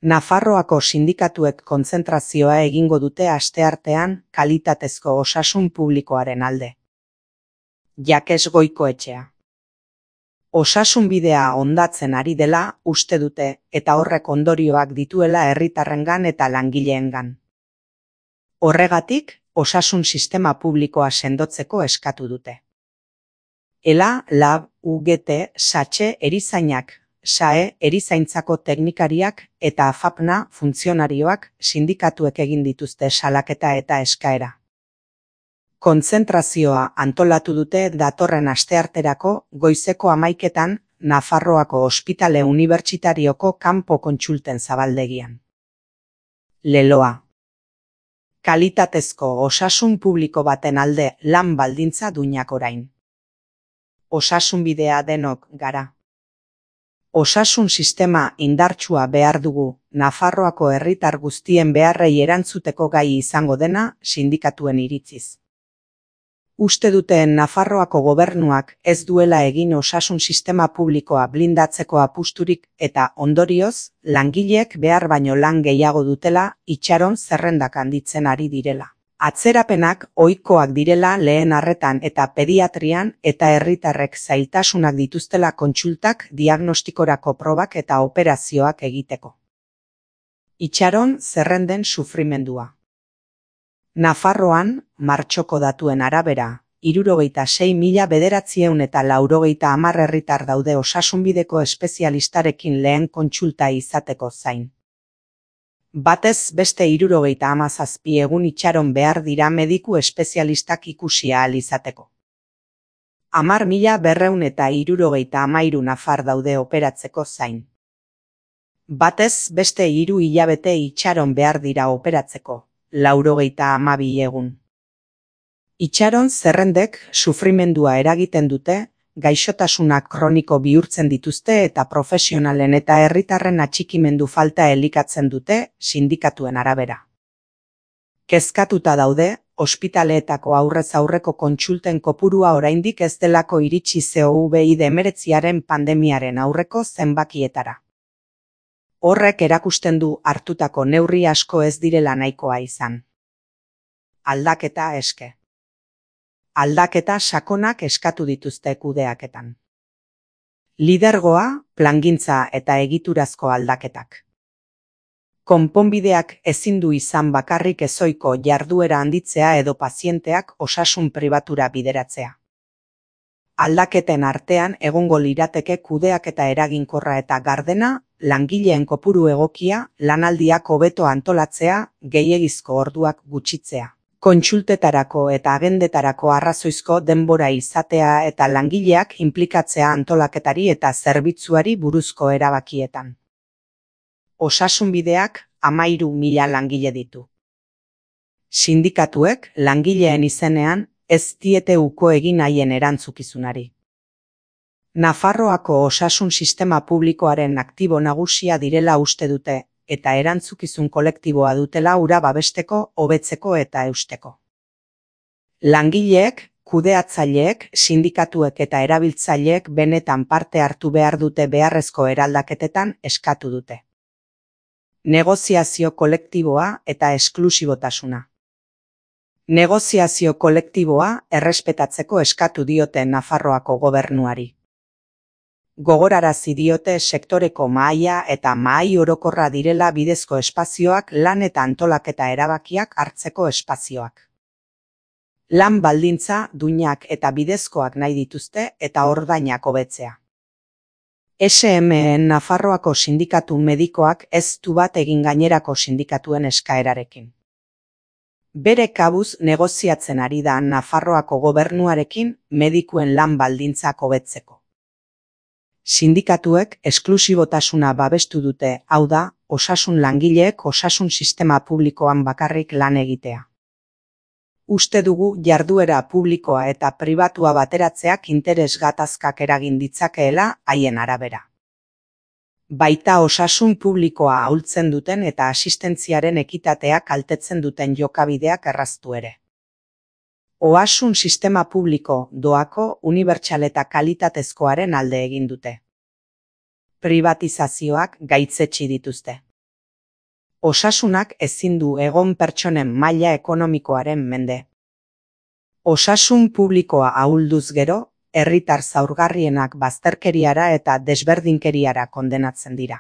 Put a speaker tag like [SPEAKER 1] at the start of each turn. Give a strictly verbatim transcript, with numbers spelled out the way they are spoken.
[SPEAKER 1] Nafarroako sindikatuek kontzentrazioa egingo dute asteartean kalitatezko osasun publikoaren alde. Jakes Goikoetxea. Osasunbidea hondatzen ari dela uste dute eta horrek ondorioak dituela herritarrengan eta langileengan. Horregatik, osasun sistema publikoa sendotzeko eskatu dute. Ela, Lab, U G T, Satxe, Erizainak, S A E, Erizaintzako teknikariak eta AFAPNA funtzionarioak sindikatuek egin dituzte salaketa eta eskaera. Kontzentrazioa antolatu dute datorren astearterako goizeko hamaiketan Nafarroako Ospitale Unibertsitarioko kanpo kontsulten zabaldegian. Leloa. Kalitatezko osasun publiko baten alde lan baldintza duinak orain. Osasunbidea denok gara. Osasun sistema indartsua behar dugu, Nafarroako herritar guztien beharrei erantzuteko gai izango dena sindikatuen iritziz. Uste duten Nafarroako gobernuak ez duela egin osasun sistema publikoa blindatzeko apusturik eta ondorioz, langileek behar baino lan gehiago dutela itxaron zerrendak handitzen ari direla. Atzerapenak ohikoak direla lehen arretan eta pediatrian eta herritarrek zailtasunak dituztela kontsultak, diagnostikorako probak eta operazioak egiteko. Itxaron zerrenden sufrimendua. Nafarroan, martxoko datuen arabera, hirurogeita sei mila bederatziehun eta laurogeita hamar herritar daude osasunbideko espezialistarekin lehen kontsulta izateko zain. Batez beste hirurogeita hamazazpi egun itxaron behar dira mediku espezialistak ikusi ahal izateko. Hamar mila berrehun eta hirurogeita hamairu nafar daude operatzeko zain. Batez beste hiru hilabete itxaron behar dira operatzeko, laurogeita hamabi egun. Itxaron zerrendek sufrimendua eragiten dute, gaixotasunak kroniko bihurtzen dituzte eta profesionalen eta herritarren atxikimendu falta elikatzen dute sindikatuen arabera. Kezkatuta daude, ospitaleetako aurrez aurreko kontsulten kopurua oraindik ez delako iritsi COVID hemeretziaren pandemiaren aurreko zenbakietara. Horrek erakusten du hartutako neurri asko ez direla nahikoa izan. Aldaketa eske. Aldaketa sakonak eskatu dituzte kudeaketan. Lidergoa, plangintza eta egiturazko aldaketak. Konponbideak ezin du izan bakarrik ezohiko jarduera handitzea edo pazienteak osasun pribatura bideratzea. Aldaketen artean egongo lirateke kudeaketa eraginkorra eta gardena, langileen kopuru egokia, lanaldiak hobeto antolatzea, gehiegizko orduak gutxitzea. Kontsultetarako eta agendetarako arrazoizko denbora izatea eta langileak inplikatzea antolaketari eta zerbitzuari buruzko erabakietan. Osasunbideak hamairu mila langile ditu. Sindikatuek langileen izenean ez diete uko egin haien erantzukizunari. Nafarroako osasun sistema publikoaren aktibo nagusia direla uste dute, eta erantzukizun kolektiboa dutela hura babesteko, hobetzeko eta eusteko. Langileek, kudeatzaileek, sindikatuek eta erabiltzaileek benetan parte hartu behar dute beharrezko eraldaketetan eskatu dute. Negoziazio kolektiboa eta esklusibotasuna. Negoziazio kolektiboa errespetatzeko eskatu diote Nafarroako gobernuari. Gogorarazi diote sektoreko mahaia eta mahai orokorra direla bidezko espazioak lan eta antolaketa erabakiak hartzeko espazioak. Lan baldintza, duinak eta bidezkoak nahi dituzte eta ordainak hobetzea. S M en Nafarroako sindikatu medikoak ez du bat egin gainerako sindikatuen eskaerarekin. Bere kabuz negoziatzen ari da Nafarroako gobernuarekin medikuen lan baldintzak hobetzeko. Sindikatuek esklusibotasuna babestu dute, hau da, osasun langileek osasun sistema publikoan bakarrik lan egitea. Uste dugu jarduera publikoa eta pribatua bateratzeak interes gatazkak eragin ditzakeela haien arabera. Baita osasun publikoa ahultzen duten eta asistentziaren ekitatea kaltetzen duten jokabideak erraztu ere. Osasun sistema publiko, doako, unibertsal eta kalitatezkoaren alde egin dute. Privatizazioak gaitzetsi dituzte. Osasunak ezin du egon pertsonen maila ekonomikoaren mende. Osasun publikoa ahulduz gero, herritar zaurgarrienak bazterkeriara eta desberdinkeriara kondenatzen dira.